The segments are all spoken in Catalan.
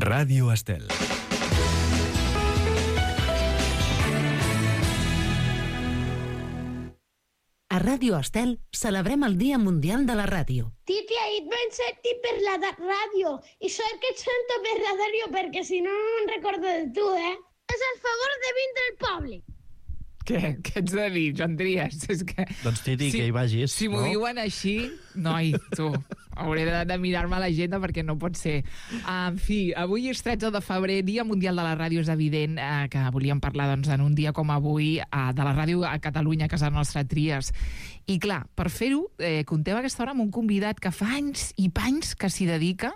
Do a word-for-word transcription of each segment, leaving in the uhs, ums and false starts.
Ràdio Estel. A Ràdio Estel celebrem el Dia Mundial de la Ràdio. Titi, ahir vam sentir per la ràdio i sort que et sento per la ràdio perquè si no no me'n recordo de tu, eh? És el favor de vindre al poble. Què? Què ets de dir, Joan Trias? És que... Doncs Titi, si, que hi vagis. Si m'ho no? diuen així, noi, tu, hauré de, de mirar-me l'agenda perquè no pot ser. En fi, avui és tretze de febrer, Dia Mundial de la Ràdio. És evident eh, que volíem parlar doncs, en un dia com avui eh, de la ràdio a Catalunya, a casa nostra, Trias. I clar, per fer-ho, eh, contem a aquesta hora amb un convidat que fa anys i panys que s'hi dedica,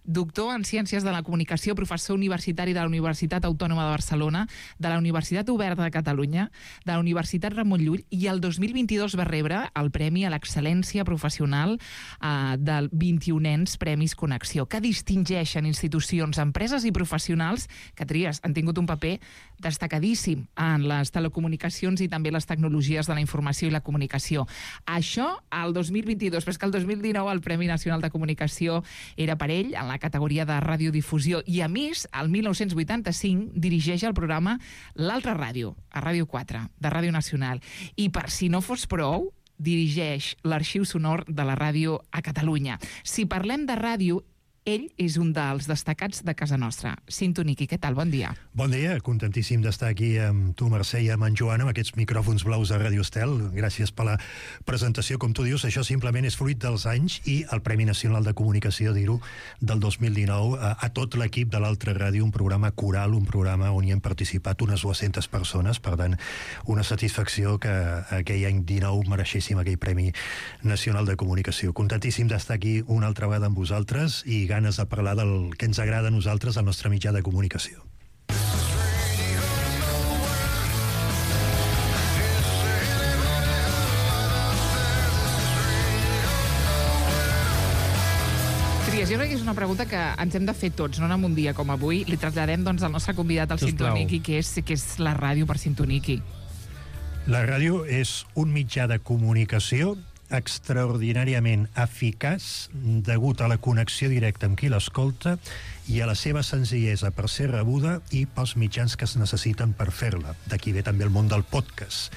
doctor en Ciències de la Comunicació, professor universitari de la Universitat Autònoma de Barcelona, de la Universitat Oberta de Catalunya, de la Universitat Ramon Llull, i el dos mil vint-i-dos va rebre el Premi a l'Excel·lència Professional eh, del vint-i-unens Premis Connexió, que distingeixen institucions, empreses i professionals que, Trias, han tingut un paper destacadíssim en les telecomunicacions i també les tecnologies de la informació i la comunicació. Això al dos mil vint-i-dos, però és que el dos mil dinou el Premi Nacional de Comunicació era per ell, en la categoria de radiodifusió, i a més, el mil nou-cents vuitanta-cinc dirigeix el programa L'Altra Ràdio, a Ràdio quatre, de Ràdio Nacional. I per si no fos prou, dirigeix l'Arxiu Sonor de la ràdio a Catalunya. Si parlem de ràdio, ell és un dels destacats de casa nostra. Cinto Niqui, què tal? Bon dia. Bon dia, contentíssim d'estar aquí amb tu, Mercè, i amb en Joan, amb aquests micròfons blaus de Ràdio Estel. Gràcies per la presentació. Com tu dius, això simplement és fruit dels anys i el Premi Nacional de Comunicació, dir-ho, del dos mil dinou, a, a tot l'equip de l'Altra Ràdio, un programa coral, un programa on hi han participat unes dues-centes persones, per tant, una satisfacció que aquell any dinou mereixéssim aquell Premi Nacional de Comunicació. Contentíssim d'estar aquí una altra vegada amb vosaltres i ganes de parlar del que ens agrada a nosaltres, al nostre mitjà de comunicació. Trias, jo crec que és una pregunta que ens hem de fer tots, no en un dia com avui. Li traslladem doncs, al nostre convidat, al Cinto Niqui, que és, que és la ràdio per Cinto Niqui. La ràdio és un mitjà de comunicació extraordinàriament eficaç degut a la connexió directa amb qui l'escolta i a la seva senzillesa per ser rebuda i pels mitjans que es necessiten per fer-la. D'aquí ve també el món del podcast.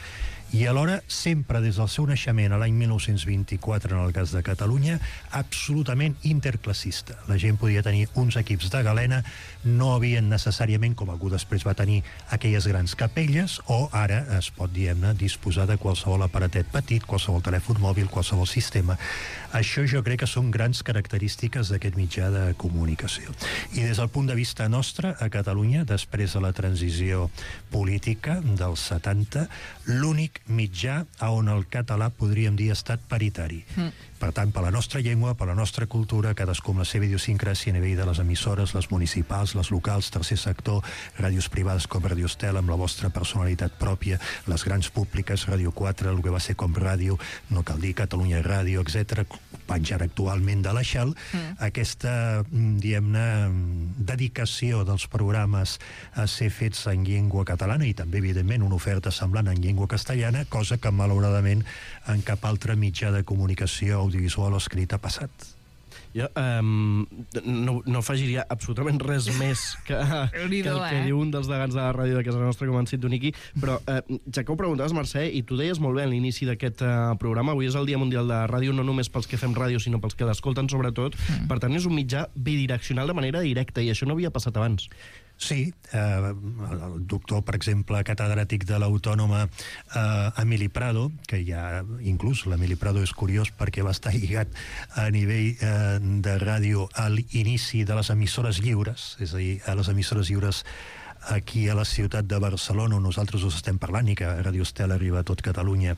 I alhora, sempre des del seu naixement a l'any mil nou-cents vint-i-quatre, en el cas de Catalunya, absolutament interclassista. La gent podia tenir uns equips de galena, no havien necessàriament, com algú després va tenir, aquelles grans capelles, o ara es pot, diguem-ne, disposar de qualsevol aparatet petit, qualsevol telèfon mòbil, qualsevol sistema. Això jo crec que són grans característiques d'aquest mitjà de comunicació. I des del punt de vista nostre, a Catalunya, després de la transició política dels setanta, l'únic mitjà a on el català, podríem dir, ha estat paritari. Mm. Per tant, per la nostra llengua, per la nostra cultura, cadascú amb la seva idiosincràsia a nivell de les emissores, les municipals, les locals, tercer sector, ràdios privades com Ràdio Estel, amb la vostra personalitat pròpia, les grans públiques, Ràdio quatre, el que va ser com ràdio, no cal dir, Catalunya Ràdio, etcètera, penjar actualment de la Shell, mm. aquesta, diguem-ne, dedicació dels programes a ser fets en llengua catalana i també, evidentment, una oferta semblant en llengua castellana, cosa que, malauradament, en cap altre mitjà de comunicació audiovisual o escrit ha passat. Jo um, no, no afegiria absolutament res més que, que el que eh? diu un dels degans de la ràdio de casa nostra, com en Cinto Niqui, però uh, ja que ho preguntaves, Mercè, i tu deies molt bé a l'inici d'aquest uh, programa, avui és el Dia Mundial de la Ràdio, no només pels que fem ràdio, sinó pels que l'escolten sobretot, mm. per tant és un mitjà bidireccional de manera directa, i això no havia passat abans. Sí, eh, el doctor, per exemple, catedràtic de l'Autònoma, eh, Emili Prado, que ja inclús l'Emili Prado és curiós perquè va estar lligat a nivell eh, de ràdio a l'inici de les emissores lliures, és a dir, a les emissores lliures aquí a la ciutat de Barcelona, on nosaltres us estem parlant i que Ràdio Estel arriba a tot Catalunya.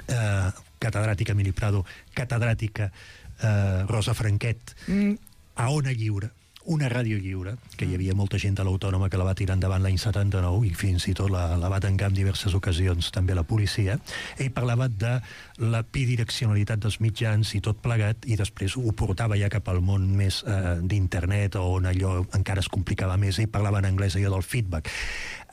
Eh, catedràtica Emili Prado, catedràtica eh, Rosa Franquet, mm. a Ona Lliure, una ràdio lliure, que hi havia molta gent a l'Autònoma que la va tirar endavant l'any setanta-nou i fins i tot la, la va tancar en diverses ocasions també la policia. Ell parlava de la bidireccionalitat dels mitjans i tot plegat, i després ho portava ja cap al món més eh, d'internet, on allò encara es complicava més. Ell parlava en anglès allò del feedback.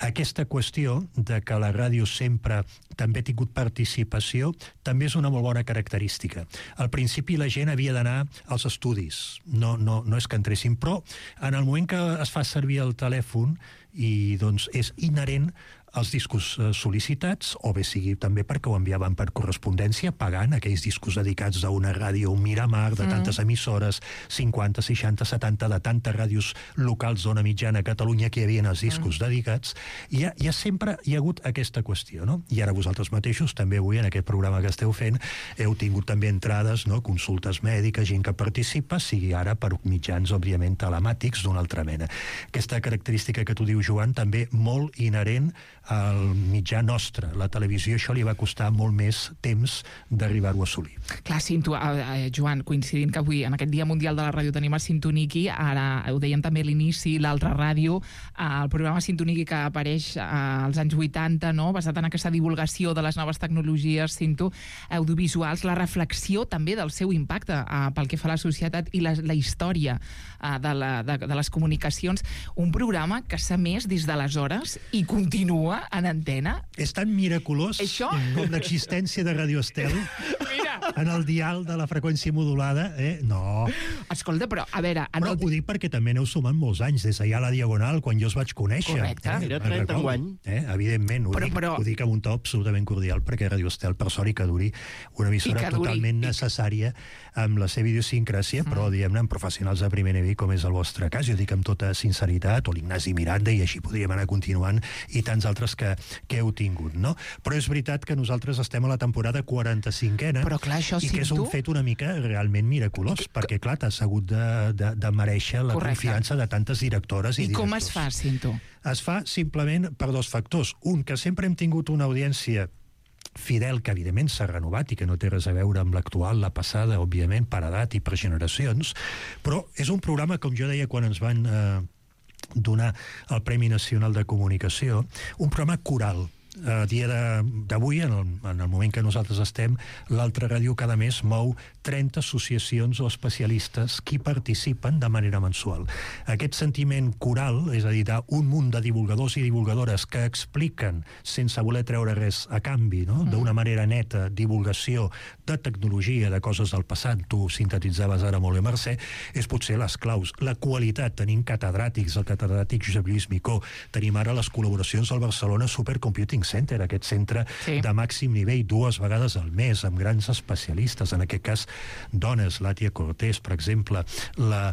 Aquesta qüestió de que la ràdio sempre també ha tingut participació també és una molt bona característica. Al principi la gent havia d'anar als estudis, no, no, no és que entressin, però en el moment que es fa servir el telèfon i doncs és inherent els discos sol·licitats, o bé sigui també perquè ho enviaven per correspondència, pagant aquells discos dedicats a una ràdio, un Miramar, de tantes mm. emissores, cinquanta, seixanta, setanta, de tantes ràdios locals d'ona mitjana a Catalunya que hi havia els discos mm. dedicats, i ja, ja sempre hi ha hagut aquesta qüestió, no? I ara vosaltres mateixos, també avui en aquest programa que esteu fent, heu tingut també entrades, no? Consultes mèdiques, gent que participa, sigui ara per mitjans, òbviament, telemàtics d'una altra mena. Aquesta característica que tu dius, Joan, també molt inherent al mitjà nostre. La televisió, això li va costar molt més temps d'arribar-ho a assolir. Clar, Cinto, eh, Joan, coincidint que avui en aquest Dia Mundial de la Ràdio tenim a Cintoniki, ara ho dèiem també a l'inici, l'altra ràdio, eh, el programa Cintoniki que apareix eh, als anys vuitanta, no? Basat en aquesta divulgació de les noves tecnologies, Cinto, audiovisuals, la reflexió també del seu impacte eh, pel que fa a la societat i la, la història eh, de, la, de, de les comunicacions. Un programa que s'ha emès des d'aleshores i continua en antena. És tan miraculós Això? com l'existència de Radio Estel en el dial de la freqüència modulada, eh? No. Escolta, però, a veure... Però el... ho dic perquè també n'heu sumat molts anys, des d'allà a la Diagonal, quan jo us vaig conèixer. Correcte. Eh? Era trenta enguany. Eh? Evidentment, ho, però, dic, però... ho dic amb un to absolutament cordial, perquè Radio Estel, per sort i que duri, una emissora duri, totalment i... necessària amb la seva idiosincràsia, mm. però, diguem-ne, amb professionals de primer nivell, com és el vostre cas. Jo dic amb tota sinceritat, o l'Ignasi Miranda, i així podríem anar continuant, i tants altres que, que heu tingut, no? Però és veritat que nosaltres estem a la temporada quaranta-cinquena, però, clar, això, i que és un tu... fet una mica realment miraculós, que... perquè, clar, t'has hagut de, de, de mereixer la Correcte. Confiança de tantes directores i, I directors. com es fa, Cinto? Es fa simplement per dos factors. Un, que sempre hem tingut una audiència fidel, que evidentment s'ha renovat i que no té res a veure amb l'actual, la passada, òbviament, per edat i per generacions, però és un programa, com jo deia quan ens van eh, donar el Premi Nacional de Comunicació, un programa coral. A dia d'avui, en, el, en el moment que nosaltres estem, l'altra ràdio cada mes mou trenta associacions o especialistes que participen de manera mensual. Aquest sentiment coral, és a dir, d'un munt de divulgadors i divulgadores que expliquen, sense voler treure res a canvi, no? D'una manera neta, divulgació de tecnologia, de coses del passat, tu sintetitzaves ara molt bé, Mercè, és potser les claus. La qualitat, tenim catedràtics, el catedràtic Josep Lluís Micó, tenim ara les col·laboracions al Barcelona Supercomputing Center, aquest centre sí. de màxim nivell, dues vegades al mes, amb grans especialistes, en aquest cas dones, l'Àtia Cortés, per exemple, la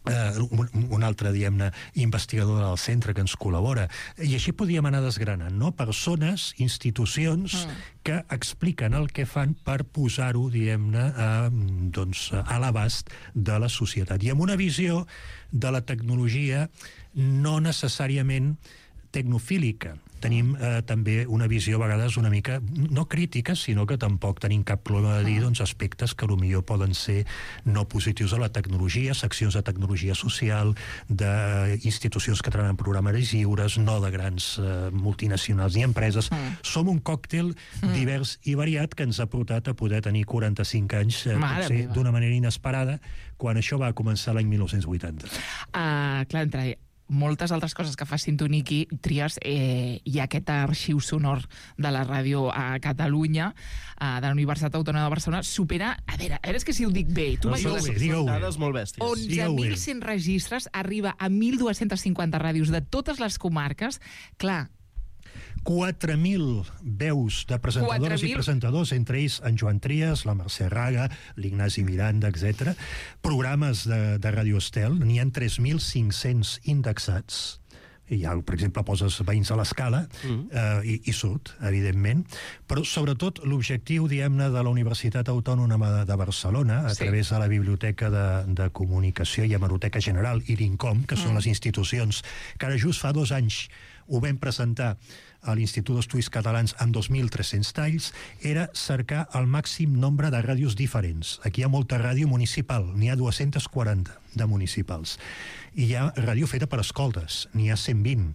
Uh, un, un altre, diguem-ne, investigador del centre que ens col·labora. I així podíem anar desgranant, no? Persones, institucions mm. que expliquen el que fan per posar-ho, diguem-ne, a, doncs, a l'abast de la societat. I amb una visió de la tecnologia no necessàriament tecnofílica. Tenim eh, també una visió a vegades una mica, no crítica, sinó que tampoc tenim cap problema de dir doncs, aspectes que potser poden ser no positius a la tecnologia, seccions de tecnologia social, d'institucions que treballen en programes lliures, no de grans eh, multinacionals ni empreses. Mm. Som un còctel mm. divers i variat que ens ha portat a poder tenir quaranta-cinc anys eh, potser d'una manera inesperada, quan això va començar l'any mil nou-cents vuitanta. Uh, clar, entre moltes altres coses que fa Cintoniki, tries, eh, hi ha aquest arxiu sonor de la ràdio a Catalunya, eh, de la Universitat Autònoma de Barcelona, supera, a veure, a veure, és que si ho dic bé, tu no, m'ajudes. Són dades molt bèsties. onze mil cent registres, arriba a mil dues-centes cinquanta ràdios de totes les comarques. Clar, quatre mil veus de presentadores i presentadors, entre ells en Joan Trias, la Mercè Raga, l'Ignasi Miranda, etcètera. Programes de, de Radio Estel, n'hi ha tres mil cinc-cents indexats. I ja, per exemple, poses Veïns a l'Escala mm. eh, i, i surt, evidentment. Però, sobretot, l'objectiu, diguem-ne, de la Universitat Autònoma de Barcelona, a sí. través de la Biblioteca de, de Comunicació i Hemeroteca General i l'INCOM, que mm. són les institucions que ara just fa dos anys ho vam presentar a l'Institut d'Estudis Catalans amb dos mil tres-cents talls, era cercar el màxim nombre de ràdios diferents. Aquí hi ha molta ràdio municipal, n'hi ha dues-centes quaranta de municipals. I hi ha ràdio feta per escoltes, n'hi ha cent vint.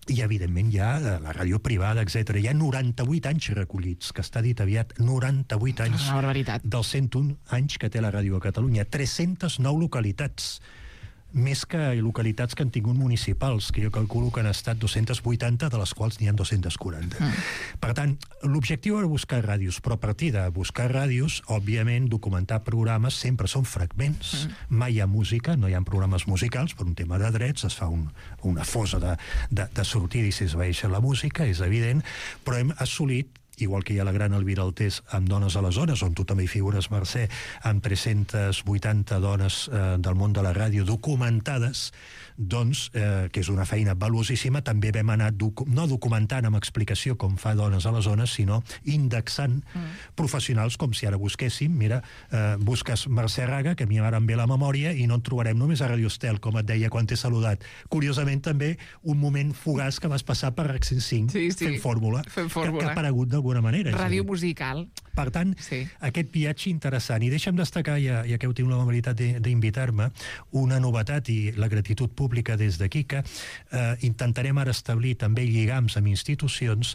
I, evidentment, hi ha la ràdio privada, etcètera. Hi ha noranta-vuit anys recollits, que està dit aviat, noranta-vuit anys. Una barbaritat. Dels cent un anys que té la ràdio a Catalunya. tres-centes nou localitats. més que localitats que han tingut municipals, que jo calculo que han estat dues-centes vuitanta, de les quals n'hi ha dues-centes quaranta. Mm. Per tant, l'objectiu era buscar ràdios, però a partir de buscar ràdios, òbviament, documentar programes sempre són fragments. Mm. Mai hi ha música, no hi ha programes musicals, per un tema de drets, es fa un, una fosa de, de, de sortida i s'esvaeix la música, és evident, però hem assolit, igual que hi ha la gran Elvira Altés amb Dones a les Zones, on tu també hi figures, Mercè, amb tres-centes vuitanta dones eh, del món de la ràdio documentades, doncs, eh, que és una feina valuosíssima, també vam anar, docu no documentant amb explicació com fa Dones a les Zones, sinó indexant mm. professionals, com si ara busquéssim, mira, eh, busques Mercè Raga, que a mi m'ara em ve la memòria, i no en trobarem només a Radio Estel, com et deia quan t'he saludat. Curiosament, també, un moment fugaç que vas passar per RAC cent cinc, sí, sí. fent fórmula, fent fórmula. Que, que ha aparegut d'alguna manera. Ràdio musical. Per tant, sí. aquest viatge interessant. I deixa'm destacar, ja, ja que heu tingut l'amabilitat d'invitar-me, una novetat i la gratitud pública des d'aquí, que eh, intentarem ara establir també lligams amb institucions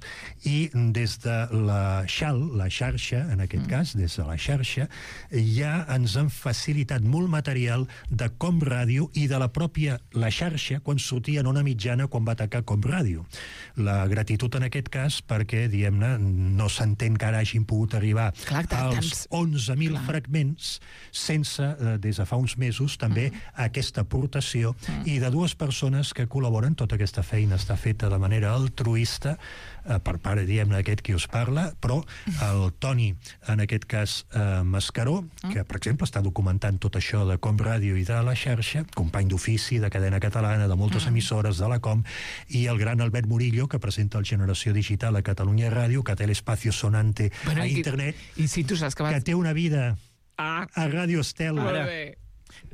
i des de la xal, la xarxa, en aquest mm. cas, des de la xarxa, ja ens han facilitat molt material de Com Ràdio i de la pròpia la xarxa quan sortia en una mitjana quan va atacar Com Ràdio. La gratitud en aquest cas perquè, diguem-ne, no s'entén que ara hagin pogut arribar Clar, als onze mil fragments sense, eh, des de fa uns mesos, també mm. aquesta aportació mm. i de dues persones que col·laboren. Tota aquesta feina està feta de manera altruista eh, per part, diguem-ne, d'aquest qui us parla, però el Toni, en aquest cas, eh, Mascaró, que, per exemple, està documentant tot això de Com Ràdio i de la xarxa, company d'ofici de Cadena Catalana, de moltes mm. emissores, de la Com, i el gran Albert Murillo, que presenta el Generació Digital a Catalunya Ràdio, que té l'espacio sonante bueno, a internet, i si tu saps que, vas... que té una vida ah. a Radio Estel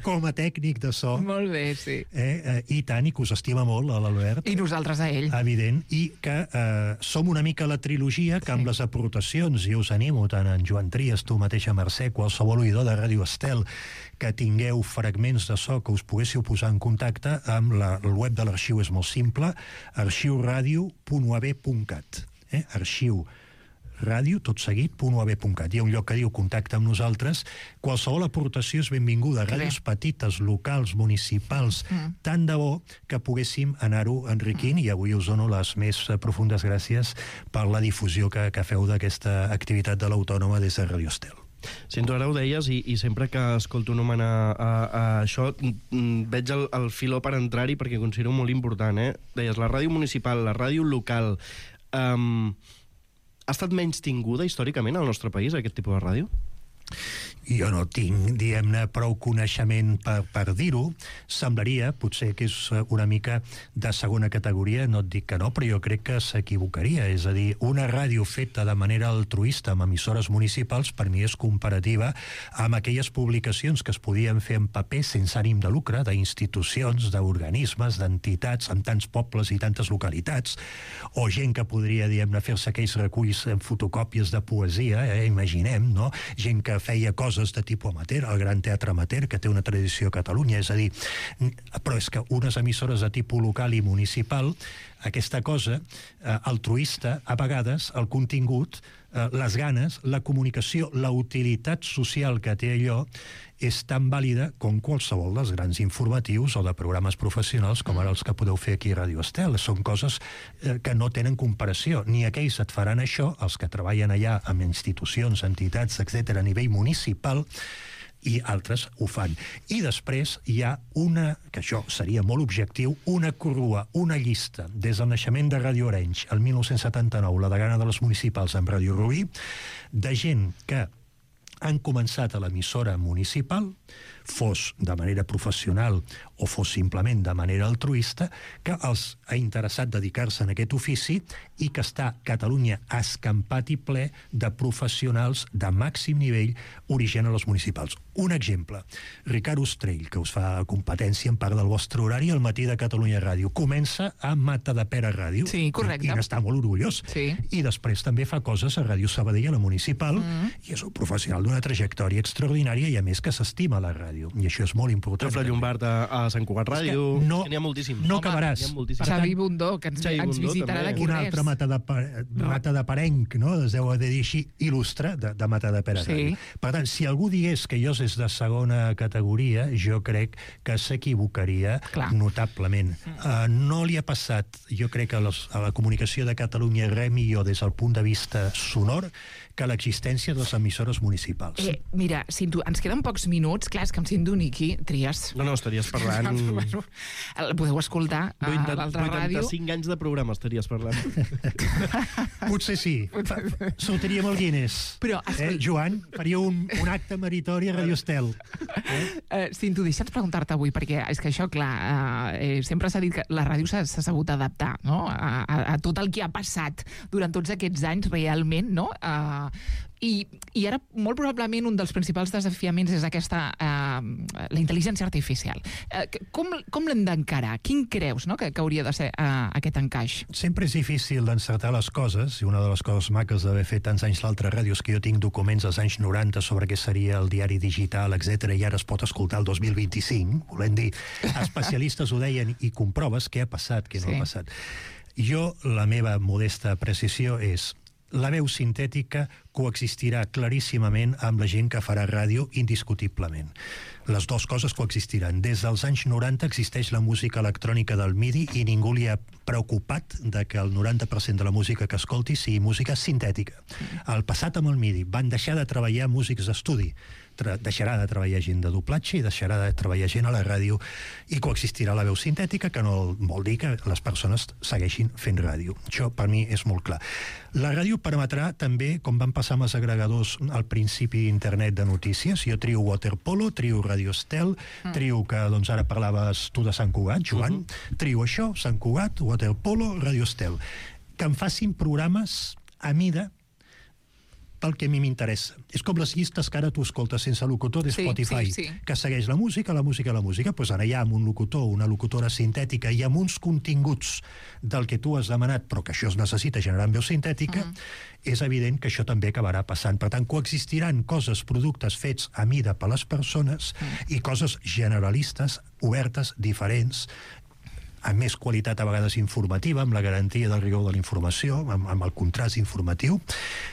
com a tècnic de so. Molt bé, sí. Eh, eh, I tant, i que us estima molt, l'Albert. I nosaltres a ell. Evident, i que eh, som una mica la trilogia que sí. amb les aportacions, i us animo tant en Joan Trias, tu mateixa, Mercè, qualsevol oïdor de Radio Estel, que tingueu fragments de so que us poguéssiu posar en contacte amb la, el web de l'arxiu és molt simple, arxiuradio punt u a b punt cat. Eh? Arxiu ràdio, tot seguit, .uab punt cat. Hi ha un lloc que diu contacte amb nosaltres. Qualsevol aportació és benvinguda. Ràdios petites, locals, municipals, mm. tant de bo que poguéssim anar-ho enriquint, mm. i avui us dono les més profundes gràcies per la difusió que, que feu d'aquesta activitat de l'Autònoma des de Radio Estel. Sento, ara ho deies, i, i sempre que escolto un home a, a, a això, m, veig el, el filó per entrar-hi perquè considero molt important, eh? Deies, la ràdio municipal, la ràdio local... Um, ha estat menys tinguda històricament al nostre país, aquest tipus de ràdio? Jo no tinc, diguem-ne, prou coneixement per, per dir-ho. Semblaria, potser que és una mica de segona categoria, no et dic que no, però jo crec que s'equivocaria. És a dir, una ràdio feta de manera altruista amb emissores municipals, per mi és comparativa amb aquelles publicacions que es podien fer en paper sense ànim de lucre, d'institucions, d'organismes, d'entitats, amb tants pobles i tantes localitats, o gent que podria, diguem-ne, fer-se aquells reculls en fotocòpies de poesia, eh, imaginem, no? Gent que feia coses de tipus amateur, el Gran Teatre Amateur, que té una tradició a Catalunya, és a dir, però és que unes emissores de tipus local i municipal, aquesta cosa eh, altruista, a vegades, el contingut, eh, les ganes, la comunicació, la utilitat social que té allò, és tan vàlida com qualsevol dels grans informatius o de programes professionals com ara els que podeu fer aquí a Radio Estel. Són coses eh, que no tenen comparació. Ni aquells et faran això, els que treballen allà amb institucions, entitats, etcètera, a nivell municipal, i altres ho fan. I després hi ha una, que això seria molt objectiu, una corrua, una llista, des del naixement de Ràdio Arenys, el mil nou-cents setanta-nou, la degana de les municipals amb Ràdio Rubí, de gent que han començat a l'emissora municipal, fos de manera professional o fos simplement de manera altruista, que els ha interessat dedicar-se en aquest ofici i que està Catalunya escampat i ple de professionals de màxim nivell origen a les municipals. Un exemple, Ricard Ostrell, que us fa competència en part del vostre horari al matí de Catalunya Ràdio, comença a Matadepera Ràdio, sí, correcte, i n'està molt orgullós, sí. I després també fa coses a Ràdio Sabadell, a la municipal, mm. i és un professional d'una trajectòria extraordinària i a més que s'estima la ràdio. ràdio, i això és molt important. Jofre Llombart a, a Sant Cugat Ràdio... No, n'hi ha moltíssims. no acabaràs. Xavi Bundó, que ens, Xavi ens Bundó, visitarà també. d'aquí Un res. altre mata de, mata de parenc, no? Es deu de dir així, il·lustre, de, de Mata de Pere. Sí. Per tant, si algú digués que jo és de segona categoria, jo crec que s'equivocaria notablement. Uh, no li ha passat, jo crec, a, los, a la comunicació de Catalunya res millor des del punt de vista sonor que l'existència de les emissores municipals. Eh, mira, Cinto, ens queden pocs minuts. Clar, és que em sento Niqui, tries. No, no, estaries parlant... bueno, el podeu escoltar a l'altra ràdio. vuitanta-cinc anys de programa estaries parlant. Potser sí. Sortiríem al Guinness. Però, eh, Joan, faria un, un acte meritori a Radio Estel. Eh? Uh, Cinto, deixa'ns preguntar-te avui, perquè és que això, clar, uh, eh, sempre s'ha dit que la ràdio s'ha sabut adaptar, no?, a, a, a tot el que ha passat durant tots aquests anys, realment, no?, uh, I, i ara molt probablement un dels principals desafiaments és aquesta eh, la intel·ligència artificial. Eh, com com l'hem d'encarar? Quin creus, no?, que, que hauria de ser eh, aquest encaix? Sempre és difícil d'encertar les coses, i una de les coses maques d'haver fet tants anys l'altra ràdio és que jo tinc documents dels anys noranta sobre què seria el diari digital, etcètera, i ara es pot escoltar el dos mil vint-i-cinc, volem dir, especialistes ho deien i comproves què ha passat, què no Sí. ha passat. Jo, la meva modesta precisió és: la veu sintètica coexistirà claríssimament amb la gent que farà ràdio indiscutiblement. Les dues coses coexistiran. Des dels anys noranta existeix la música electrònica del MIDI i ningú li ha preocupat de que el noranta per cent de la música que escolti sigui música sintètica. Al passat amb el MIDI van deixar de treballar músics d'estudi, deixarà de treballar gent de doblatge i deixarà de treballar gent a la ràdio, i coexistirà la veu sintètica, que no vol dir que les persones segueixin fent ràdio. Això per mi és molt clar. La ràdio permetrà també, com van passar amb els agregadors al principi d'internet de notícies, jo trio Waterpolo, trio Radio Estel, mm. trio que doncs ara parlaves tu de Sant Cugat, Joan, uh -huh. trio això, Sant Cugat, Waterpolo, Radio Estel, que em facin programes a mida pel que a mi m'interessa. És com les llistes que ara tu escoltes sense locutor de Spotify, sí, sí, sí. que segueix la música, la música, la música. Pues ara hi ha un locutor, una locutora sintètica i amb uns continguts del que tu has demanat, però que això es necessita generar en veu sintètica, mm. és evident que això també acabarà passant. Per tant, coexistiran coses, productes fets a mida per les persones mm. i coses generalistes, obertes, diferents, amb més qualitat a vegades informativa, amb la garantia del rigor de la informació, amb, amb el contrast informatiu.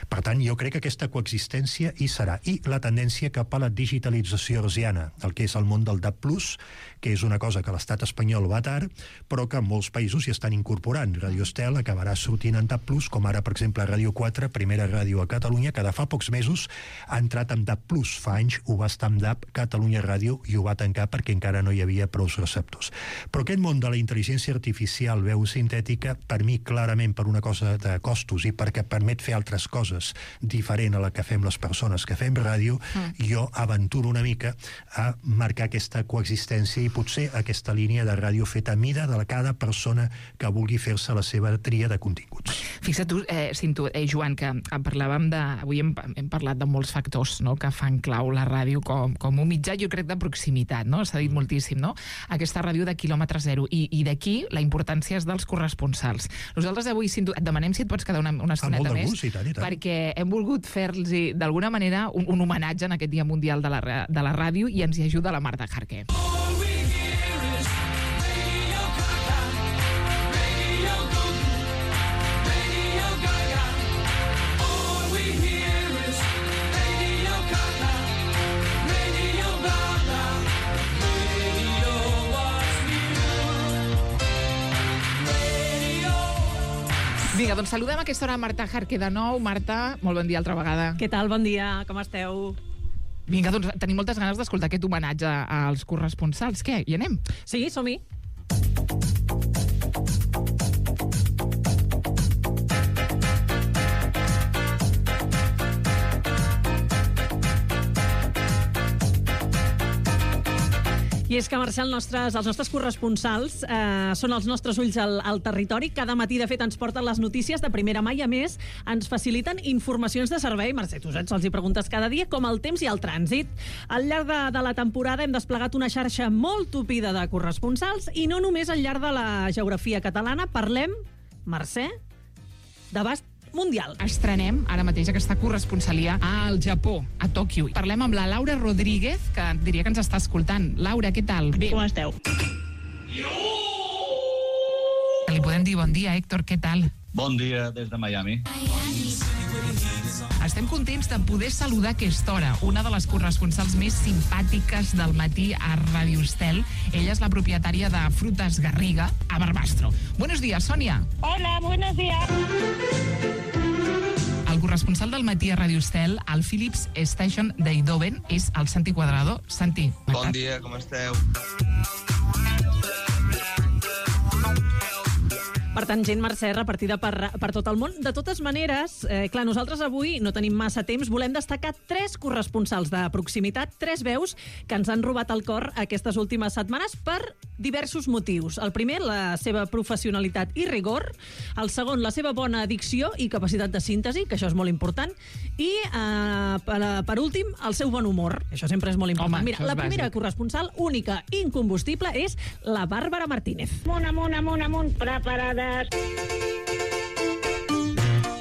Per tant, jo crec que aquesta coexistència hi serà. I la tendència cap a la digitalització hertziana, el que és el món del D A B plus, que és una cosa que l'estat espanyol va tard, però que en molts països hi estan incorporant. Radio Estel acabarà sortint en D A B plus, com ara, per exemple, Ràdio quatre, primera ràdio a Catalunya, que de fa pocs mesos ha entrat en D A B plus. Fa anys ho va estar en D A B, Catalunya Ràdio, i ho va tancar perquè encara no hi havia prou receptors. Però aquest món de la intel·ligència artificial, veu sintètica, per mi clarament per una cosa de costos i perquè permet fer altres coses diferent a la que fem les persones que fem ràdio, mm. jo aventuro una mica a marcar aquesta coexistència i potser aquesta línia de ràdio feta a mida de cada persona que vulgui fer-se la seva tria de continguts. Fixa't tu, eh, Cinto, eh, Joan, que parlàvem de... Avui hem, hem parlat de molts factors, no?, que fan clau la ràdio com, com un mitjà, jo crec, de proximitat, no? S'ha dit moltíssim, no? Aquesta ràdio de quilòmetre zero. I, i d'aquí la importància és dels corresponsals. Nosaltres avui, Cinto, et demanem si et pots quedar una, una estoneta més, gust, i tant, i tant. perquè hem volgut fer-los d'alguna manera un, un homenatge en aquest Dia Mundial de la, de la Ràdio, i ens hi ajuda la Marta Jarque. Vinga, doncs saludem a aquesta hora Marta Jarque de nou. Marta, molt bon dia altra vegada. Què tal? Bon dia, com esteu? Vinga, doncs tenim moltes ganes d'escoltar aquest homenatge als corresponsals. Què, hi anem? Sí, som-hi. I és que, Marcel, nostres, els nostres corresponsals eh, són els nostres ulls al, al territori. Cada matí, de fet, ens porten les notícies de primera mà i, a més, ens faciliten informacions de servei. Mercè, tu saps, els hi preguntes cada dia, com el temps i el trànsit. Al llarg de, de la temporada hem desplegat una xarxa molt tupida de corresponsals i no només al llarg de la geografia catalana. Parlem, Mercè, d'abast mundial. Estrenem ara mateix aquesta corresponsalia al Japó, a Tòquio. Parlem amb la Laura Rodríguez, que diria que ens està escoltant. Laura, què tal? Bé. Com esteu? Li podem dir bon dia, Héctor, què tal? Bon dia des de Miami. Estem contents de poder saludar a aquesta hora una de les corresponsals més simpàtiques del matí a Ràdio Estel. Ella és la propietària de Frutas Garriga, a Barbastro. Buenos días, Sonia. Hola, buenos días. El corresponsal del matí a Ràdio Estel, al Philips Station d'Eindhoven, és el Santi Cuadrado. Santi. Bon dia, com esteu? Per tant, gent, Mercè, repartida per, per tot el món. De totes maneres, eh, clar, nosaltres avui no tenim massa temps, volem destacar tres corresponsals de proximitat, tres veus que ens han robat el cor aquestes últimes setmanes per diversos motius. El primer, la seva professionalitat i rigor. El segon, la seva bona dicció i capacitat de síntesi, que això és molt important. I, eh, per, per últim, el seu bon humor. Això sempre és molt important. Home, Mira, la primera bàsic. corresponsal, única i incombustible, és la Bàrbara Martínez. Amunt, amunt, amunt, amunt, preparades.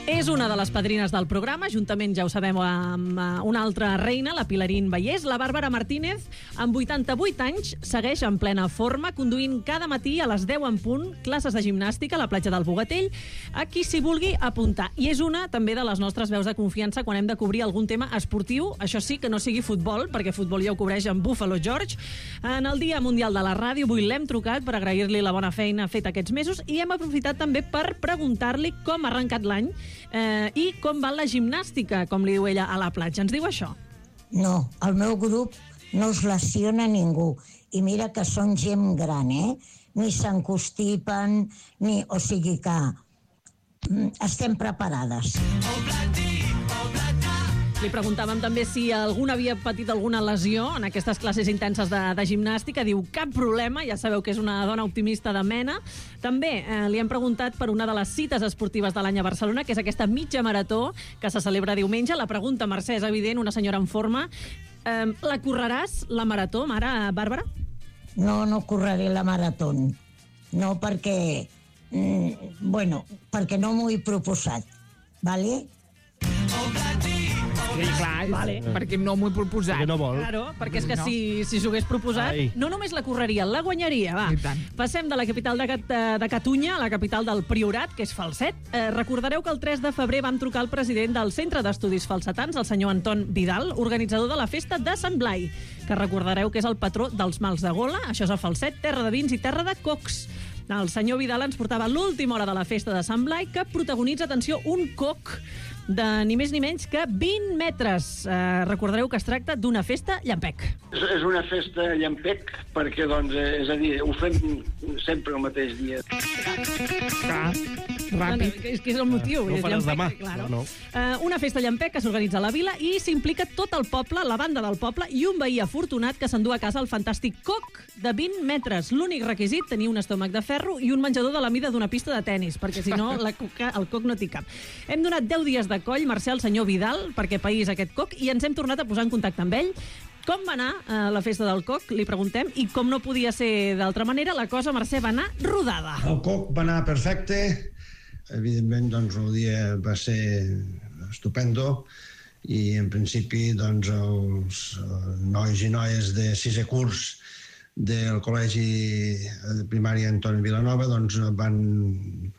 És una de les padrines del programa, juntament, ja ho sabem, amb una altra reina, la Pilarín Vallès. La Bàrbara Martínez, amb vuitanta-vuit anys, segueix en plena forma, conduint cada matí a les deu en punt classes de gimnàstica a la platja del Bogatell, a qui s'hi vulgui apuntar. I és una, també, de les nostres veus de confiança quan hem de cobrir algun tema esportiu, això sí, que no sigui futbol, perquè futbol ja ho cobreix en Buffalo George. En el Dia Mundial de la Ràdio, avui l'hem trucat per agrair-li la bona feina feta aquests mesos i hem aprofitat també per preguntar-li com ha arrencat l'any Eh, i com va la gimnàstica, com li diu ella, a la platja. Ens diu això? No, el meu grup no es lesiona ningú. I mira que són gent gran, eh? Ni s'encostipen, ni... O sigui que estem preparades. Li preguntàvem també si algun havia patit alguna lesió en aquestes classes intenses de, de gimnàstica. Diu, cap problema, ja sabeu que és una dona optimista de mena. També eh, li hem preguntat per una de les cites esportives de l'any a Barcelona, que és aquesta mitja marató que se celebra diumenge. La pregunta, Mercè, és evident, una senyora en forma. Eh, la correràs, la marató, mare Bàrbara? No, no correré la marató. No, perquè... Mm, bueno, perquè no m'ho he proposat. Vale? Sí, clar, vale. Perquè no m'ho he proposat. Perquè no vol. Claro, perquè és que No. si, si s'ho hagués proposat, Ai. no només la correria, la guanyaria, va. I tant. Passem de la capital de, Cat de Catalunya a la capital del Priorat, que és Falset. Eh, recordareu que el tres de febrer vam trucar al president del Centre d'Estudis Falsetans, el senyor Anton Vidal, organitzador de la festa de Sant Blai, que recordareu que és el patró dels mals de gola. Això és a Falset, terra de vins i terra de cocs. El senyor Vidal ens portava l'última hora de la festa de Sant Blai, que protagonitza, atenció, un coc de ni més ni menys que vint metres. Eh, recordareu que es tracta d'una festa llampec. És, és una festa llampec perquè, doncs, eh, és a dir, ho fem sempre el mateix dia. Clar, ràpid. És que és el motiu. No ho és faràs llampec, demà. Claro. No, no. Uh, una festa llampec que s'organitza a la vila i s'implica tot el poble, la banda del poble i un veí afortunat que s'endú a casa el fantàstic coc de vint metres. L'únic requisit, tenir un estómac de ferro i un menjador de la mida d'una pista de tennis, perquè si no la coca, el coc no t'hi cap. Hem donat deu dies de coll, Mercè, al senyor Vidal, perquè país aquest coc, i ens hem tornat a posar en contacte amb ell. Com va anar a la festa del coc, li preguntem, i com no podia ser d'altra manera, la cosa, Mercè, va anar rodada. El coc va anar perfecte. Evidentment, doncs, el dia va ser estupendo i, en principi, doncs, els nois i noies de sisè curs del Col·legi de Primària Antoni Vilanova doncs, van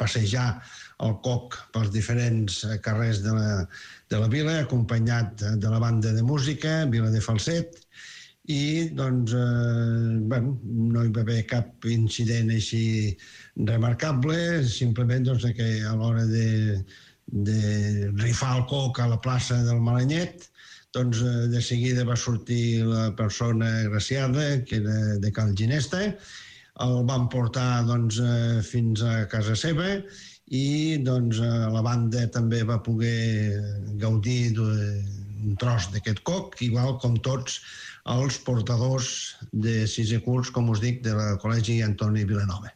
passejar el coc pels diferents carrers de la, de la vila, acompanyat de la banda de música, Vila de Falset, i doncs, eh, bueno, no hi va haver cap incident així remarcable, simplement doncs, que a l'hora de, de rifar el coc a la plaça del Malanyet, doncs de seguida va sortir la persona agraciada, que era de Cal Ginesta, el van portar doncs, fins a casa seva i doncs, la banda també va poder gaudir d'un tros d'aquest coc, igual com tots els portadors de sisè curs, com us dic, del Col·legi Antoni Vilanova.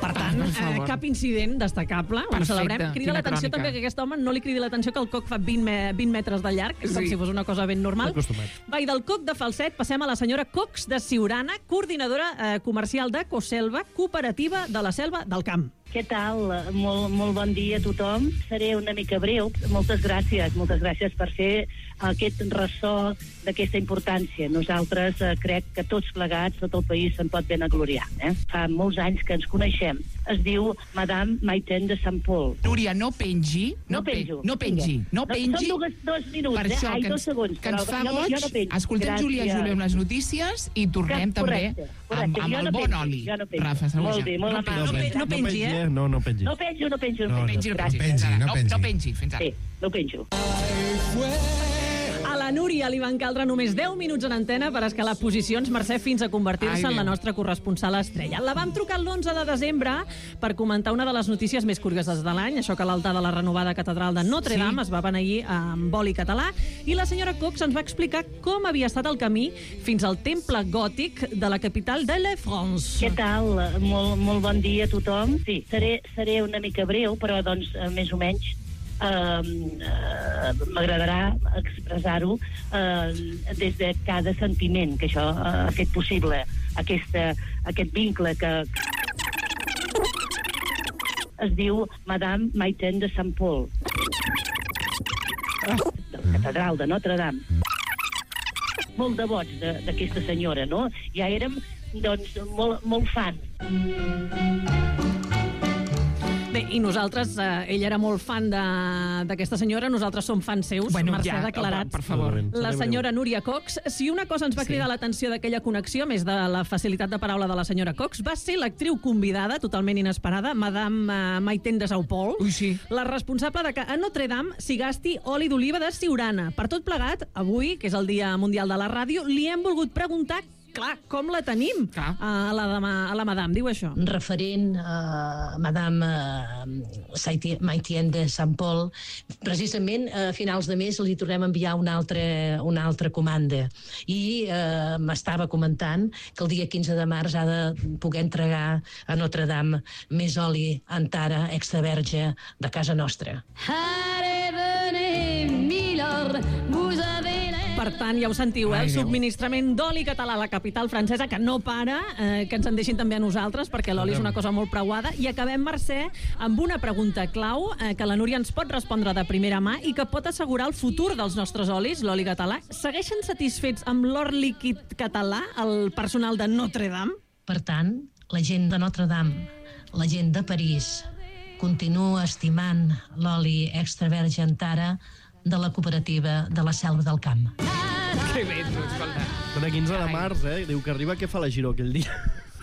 Per tant, eh, cap incident destacable. Ho celebrem. Crida l'atenció també que aquest home no li cridi l'atenció que el coc fa vint, me vint metres de llarg, com Sí. si fos una cosa ben normal. Acostumat. Va, i del coc de Falset passem a la senyora Cox de Siurana, coordinadora eh, comercial de Coselva, cooperativa de la Selva del Camp. Què tal? Molt, molt bon dia a tothom. Seré una mica breu. Moltes gràcies, moltes gràcies per fer aquest ressò d'aquesta importància. Nosaltres eh, crec que tots plegats, tot el país se'n pot ben agloriar. Eh? Fa molts anys que ens coneixem. Es diu Madame Maiten de Sant Pol. Núria, no pengi. No, no penjo. No pengi. No pengi. Són dos, dos minuts, per això, eh? Ai, que ens, dos segons. que ens fa no, goig. No Escoltem Gràcies. Júlia Júlia amb les notícies i tornem que, correcte, també correcte. amb, amb jo el no bon penjo, oli. Jo no penjo. Rafa Saluja. Molt bé, molt no, amable. no, no, no pengi, eh? No, no pengi. No penjo, no penjo. No, No pengi, no pengi. pengi, no pengi. No pengi, fins ara. Sí, no penjo. A la Núria li van caldre només deu minuts en antena per escalar posicions, Mercè, fins a convertir-se en la nostra corresponsal estrella. La vam trucar l'onze de desembre per comentar una de les notícies més curioses de l'any, això que l'altar de la renovada catedral de Notre Dame sí. es va beneir amb oli català, i la senyora Cox ens va explicar com havia estat el camí fins al temple gòtic de la capital de la France. Què tal? Molt, molt bon dia a tothom. Sí, seré, seré una mica breu, però doncs més o menys Uh, uh, m'agradarà expressar-ho uh, des de cada sentiment que això uh, ha fet possible, aquesta, aquest vincle que es diu Madame Maiten de Sant Pol, de la catedral de Notre Dame. Molt devots d'aquesta senyora, no? Ja érem, doncs, molt, molt fans. Bé, i nosaltres, eh, ell era molt fan d'aquesta senyora, nosaltres som fans seus, bueno, Mercè ja, ha declarat. per favor. La senyora Núria Cox. Si una cosa ens va cridar sí. l'atenció d'aquella connexió, més de la facilitat de paraula de la senyora Cox, va ser l'actriu convidada, totalment inesperada, Madame uh, Maiten de Sant Pol, Ui, sí. la responsable de que a Notre Dame s'hi gasti oli d'oliva de Siurana. Per tot plegat, avui, que és el Dia Mundial de la Ràdio, li hem volgut preguntar clar, com la tenim clar. A, la dama, a la Madame, diu això. Referent a Madame uh, Maiten de Sant Pol, precisament a finals de mes li tornem a enviar una altra, una altra comanda i uh, m'estava comentant que el dia quinze de març ha de poder entregar a Notre Dame més oli Antara extra verge de casa nostra. Per tant, ja ho sentiu, eh? El subministrament d'oli català a la capital francesa, que no para, eh, que ens en deixin també a nosaltres, perquè l'oli és una cosa molt preuada. I acabem, Mercè, amb una pregunta clau eh, que la Núria ens pot respondre de primera mà i que pot assegurar el futur dels nostres olis, l'oli català. Segueixen satisfets amb l'or líquid català, el personal de Notre Dame? Per tant, la gent de Notre Dame, la gent de París, continua estimant l'oli extra verge Antara de la cooperativa de la Selva del Camp. Que bé, tu, escolta. Són a quinze de març, eh? Diu que arriba, què fa la Giró aquell dia?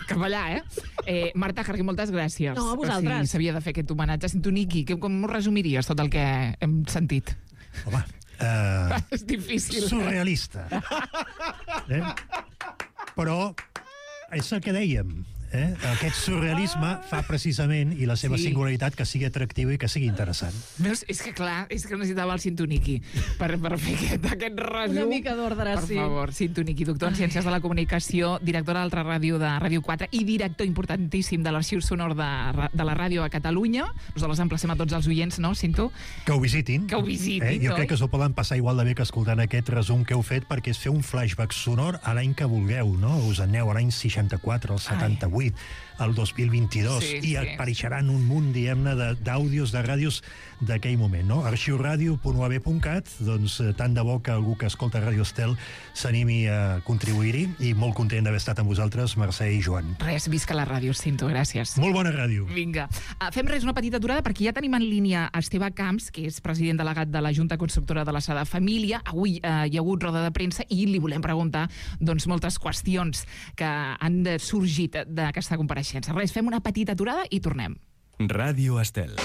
Cap allà, eh? eh Marta Jarquí, moltes gràcies. No, a vosaltres. Si s'havia de fer aquest homenatge. Sento, Niqui, com ho resumiries tot el que hem sentit? Home, uh, és difícil. Surrealista. Eh? Però és el que dèiem. Eh? Aquest surrealisme fa precisament, i la seva sí. singularitat, que sigui atractiu i que sigui interessant. Veus? És que clar, és que necessitava el Sintoniqui per, per fer aquest, aquest resum. Una mica d'ordre, per sí. Per favor, Sintoniqui, doctor en Ciències de la Comunicació, directora d'Altra Ràdio de Ràdio quatre i director importantíssim de l'Arxiu Sonor de, de la ràdio a Catalunya. Nosaltres emplacem a tots els oients, no, Cinto? Que ho visitin. Que ho visitin, eh? Jo crec que s'ho poden passar igual de bé que escoltant aquest resum que heu fet, perquè és fer un flashback sonor a l'any que vulgueu, no? Us aneu a l'any seixanta-quatre, al setanta-vuit, al dos mil vint-i-dos, sí, i sí. apareixeran un munt, diguem-ne, d'àudios, de, de ràdios d'aquell moment, no? arxiuradio punt u a be punt cat, doncs tant de bo que algú que escolta Ràdio Estel s'animi a contribuir-hi, i molt content d'haver estat amb vosaltres, Mercè i Joan. Res, visca la ràdio, Cinto, gràcies. Molt bona ràdio. Vinga. Uh, fem res, una petita aturada, perquè ja tenim en línia Esteve Camps, que és president delegat de la Junta Constructora de la Sagrada Família. Avui uh, hi ha hagut roda de premsa i li volem preguntar doncs, moltes qüestions que han sorgit d'aquesta compareixença. Res, fem una petita aturada i tornem. Ràdio Estel.